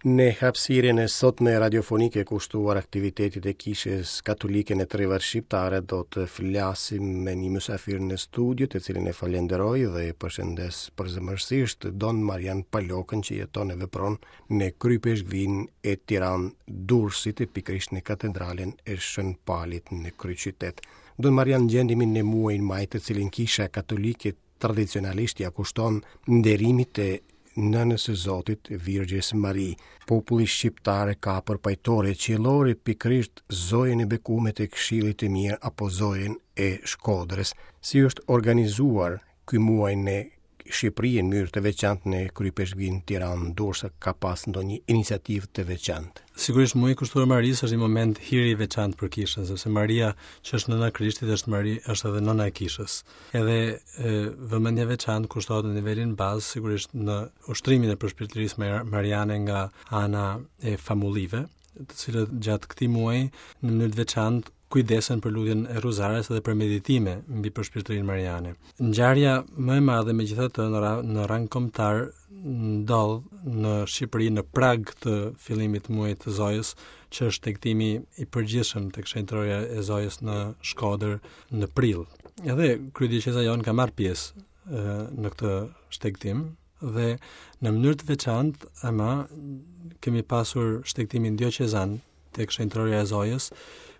Në hapësirën e sotme radiofonike kushtuar aktivitetit e Kishës Katolike në trevat shqiptare do të flasim me një mysafir në studio, të cilin e falenderoj dhe e përshëndes përzemërsisht Don Marian Palokën që jeton e vepron në Kryeipeshkvinë e Tiranë-Durrësit e pikërisht në katedralen e Shën Palit në kryeqytet. Don Marian gjendemi në muajin maj të cilin Kisha Katolike tradicionalisht ia kushton nderimit të nënës së Zotit, Virgjës Mari. Populli shqiptar ka për pajtore qiellore pikërisht Zojën e Bekume të Këshillit të Mirë apo Zojën e Shkodrës. Si është organizuar ky muaj në Shqipëri në mënyrë të veçantë në Kryeipeshkvinë Tiranë-Durrës ka pas ndonjë iniciativë të veçantë. Sigurisht muaji kushtuar Marisë është një moment hiri i veçantë për kishën, sepse Maria që është nëna e Krishtit është Mari, është edhe nëna e kishës. Edhe e, vëmendja e veçantë kushtohet në nivelin bazë, sigurisht në ushtrimin e përshpirtërisë mariane nga ana e famullive, të cilët gjatë këtij muaji në mënyrë të veçantë kujdesen për lutjen e Rruzares dhe për meditime mbi përshpirtërinë mariane. Ngjarja më e madhe megjithatë në, ra, në rang kombëtar ndodh në Shqipëri në prag të fillimit të muajit të Zojës, që është shtegtimi i përgjithshëm tek shenjtërorja e Zojës në Shkodër në prill. Edhe kryedioqeza jonë ka marrë pjesë në këtë shtegtim dhe në mënyrë të veçantë ama kemi pasur shtegtimin dioqezan tek shenjtërorja e Zojës,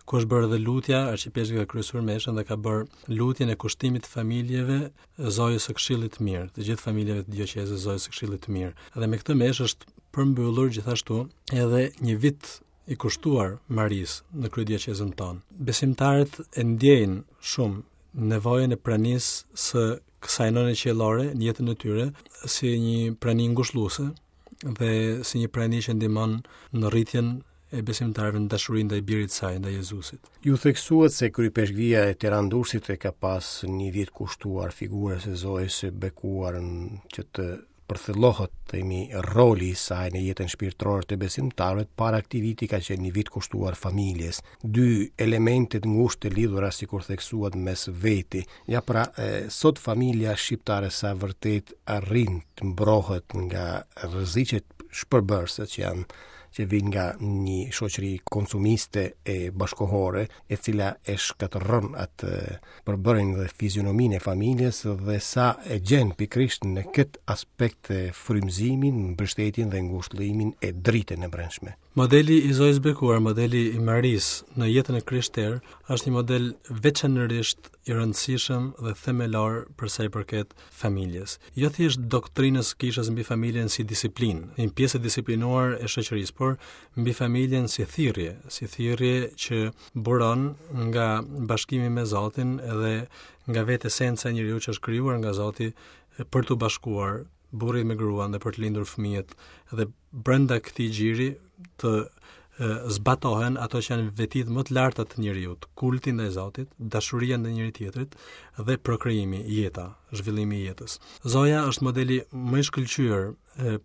ku është bërë edhe lutja, arqipeshkvi ka kryesuar meshën dhe ka bërë lutjen e kushtimit të familjeve Zojës së Këshillit të Mirë, të gjithë familjeve të dioqezës Zojës së Këshillit të Mirë. Dhe me këtë meshë është përmbyllur gjithashtu edhe një vit i kushtuar Marisë në kryedioqezën tonë. Besimtarët e ndjejnë shumë nevojën e pranisë së kësaj nëne qiellore në jetën e tyre si një prani ngushëlluese dhe si një prani që ndihmon në rritjen e besimtarëve në dashuri ndaj birit të saj, ndaj Jezusit. Ju theksuat se Kryeipeshkvia e Tiranë-Durrësit e ka pas një vit kushtuar figurës së Zojës së bekuar që të përthellohet, themi, roli i saj në jetën shpirtërore të besimtarëve, para këtij viti ka qenë një vit kushtuar familjes. Dy elemente të ngushtë të lidhura sikur theksuat mes veti. Ja pra, e, sot familja shqiptare sa vërtet arrin të mbrohet nga rreziqet shpërbërëse që janë që vijnë nga një shoqëri konsumiste e bashkohore, e cila e shkatërron atë përbërjen dhe fizionominë e familjes dhe sa e gjen pikërisht në këtë aspekt frymëzimin, mbështetjen dhe ngushëllimin e dritën e brendshme. Modeli i Zojës Bekuar, modeli i Marisë në jetën e krishterë është një model veçanërisht i rëndësishëm dhe themelor për sa i përket familjes. Jo thjesht doktrinës së kishës mbi familjen si disiplinë, një pjesë e disiplinuar e shoqërisë, por mbi familjen si thirrje, si thirrje që buron nga bashkimi me Zotin edhe nga vetë esenca e njeriut që është krijuar nga Zoti për t'u bashkuar burri me gruan dhe për të lindur fëmijët dhe brenda këtij gjiri të zbatohen ato që janë vetitë më të larta të njeriut, kulti ndaj Zotit, dashuria ndaj njëri-tjetrit dhe prokrijimi, jeta, zhvillimi i jetës. Zoja është modeli më i shkëlqyer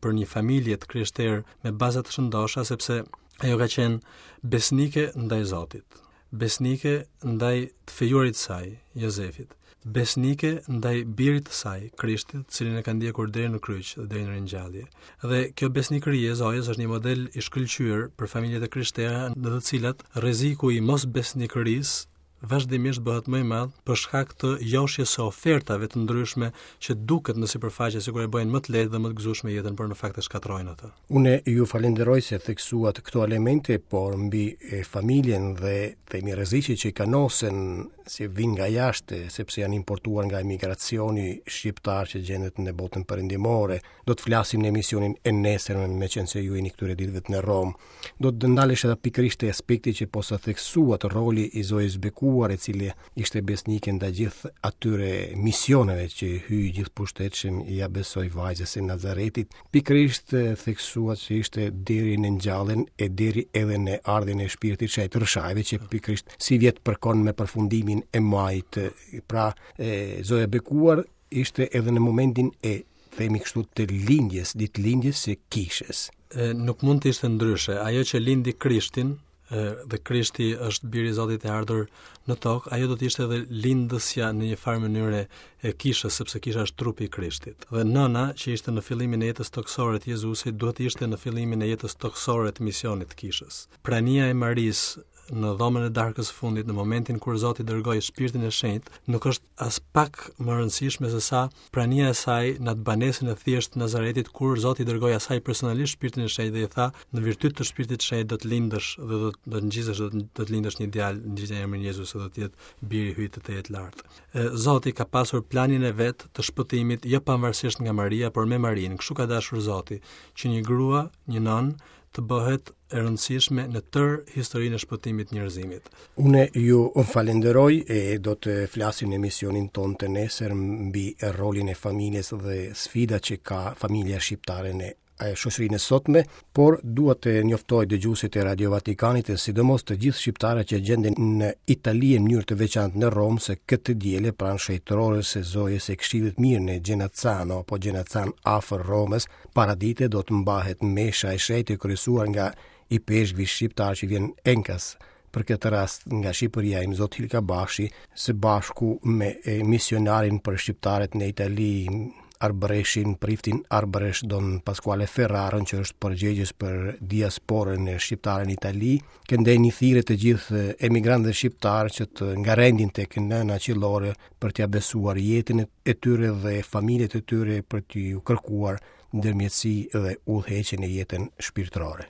për një familje të krishterë me baza të shëndosha sepse ajo ka qenë besnike ndaj Zotit. besnike ndaj të fejuarit të saj, Jozefit, besnike ndaj birit të saj, Krishtit, të cilin e ka ndjekur deri në kryq dhe deri në ringjallje. Dhe kjo besnikëri e Zojës është një model i shkëlqyer për familjet e krishtera në të cilat rreziku i mosbesnikërisë vazhdimisht bëhet më i madh për shkak të joshjes së ofertave të ndryshme që duket në sipërfaqe sikur e bëjnë më të lehtë dhe më të gëzueshme jetën, por në fakt e shkatërrojnë atë. Unë ju falenderoj se theksuat këto elemente, por mbi familjen dhe themi rreziqet që i kanosen si vijnë nga jashtë, sepse janë importuar nga emigracioni shqiptar që gjendet në botën perëndimore. Do të flasim në emisionin e nesërëm, meqenëse ju jeni këtyre ditëve në Romë. Do të ndalesh edhe pikërisht te aspekti që posa theksuat roli i Zojës Bekuar, e cila ishte besnike ndaj gjithë atyre misioneve që Hyji i gjithëpushtetshëm ia besoi vajzës së Nazaretit, Pikërisht theksuat se ishte deri në ngjalljen e deri edhe në ardhjen e shpirtit shenjt Rrëshajve që pikërisht sivjet përkon me përfundimin e majit. Pra, e, Zoja e Bekuar ishte edhe në momentin e themi kështu të lindjes, ditëlindjes së kishës. E, nuk mund të ishte ndryshe. Ajo që lindi Krishtin. dhe Krishti është biri i Zotit i ardhur në tokë, ajo do të ishte edhe lindësja në një farë mënyre e kishës, sepse kisha është trupi i Krishtit. Dhe nëna që ishte në fillimin e jetës tokësore të Jezusit, duhet të ishte në fillimin e jetës tokësore të misionit të kishës. Prania e Marisë në dhomën e darkës së fundit, në momentin kur Zoti dërgoi Shpirtin e Shenjtë, nuk është aspak më e rëndësishme se sa prania e saj në atë banesën e thjeshtë të Nazaretit kur Zoti i dërgoi asaj personalisht Shpirtin e Shenjtë dhe i tha në virtyt të Shpirtit të Shenjtë do të lindësh dhe do do të ngjizësh do të do të lindësh një djalë, ngjitja emrin Jezus dhe do të jetë biri i Hyjit të Tejetlartë. Zoti ka pasur planin e vet të shpëtimit jo pavarësisht nga Maria, por me Marinë. Kështu ka dashur Zoti, që një grua, një nënë të bëhet e rëndësishme në tërë historinë e shpëtimit të njerëzimit. Unë ju falenderoj e do të flasim në emisionin tonë të nesër mbi rolin e familjes dhe sfidat që ka familja shqiptare në shoqërinë e sotme, por dua të njoftoj dëgjuesit e Radio Vatikanit e sidomos të gjithë shqiptarët që gjenden në Itali në mënyrë të veçantë në Romë se këtë të diele pranë shenjtorës së Zojës së Këshillit Mirë në Genazzano apo Genazzan afër Romës, paradite do të mbahet mesha e shenjtë e kryesuar nga ipeshkvi shqiptar që vjen enkas për këtë rast nga Shqipëria Imzot Hilka Bashi së bashku me misionarin për shqiptarët në Itali Arbëreshin, priftin Arbëresh Don Pasquale Ferraron që është përgjegjës për diasporën e shqiptare në Itali, këndej një thirrje të gjithë emigrantëve shqiptarë që të ngarendin tek nëna qiellore për t'ia besuar jetën e tyre dhe familjet e tyre për t'iu kërkuar ndërmjetësi dhe udhëheqje në jetën shpirtërore.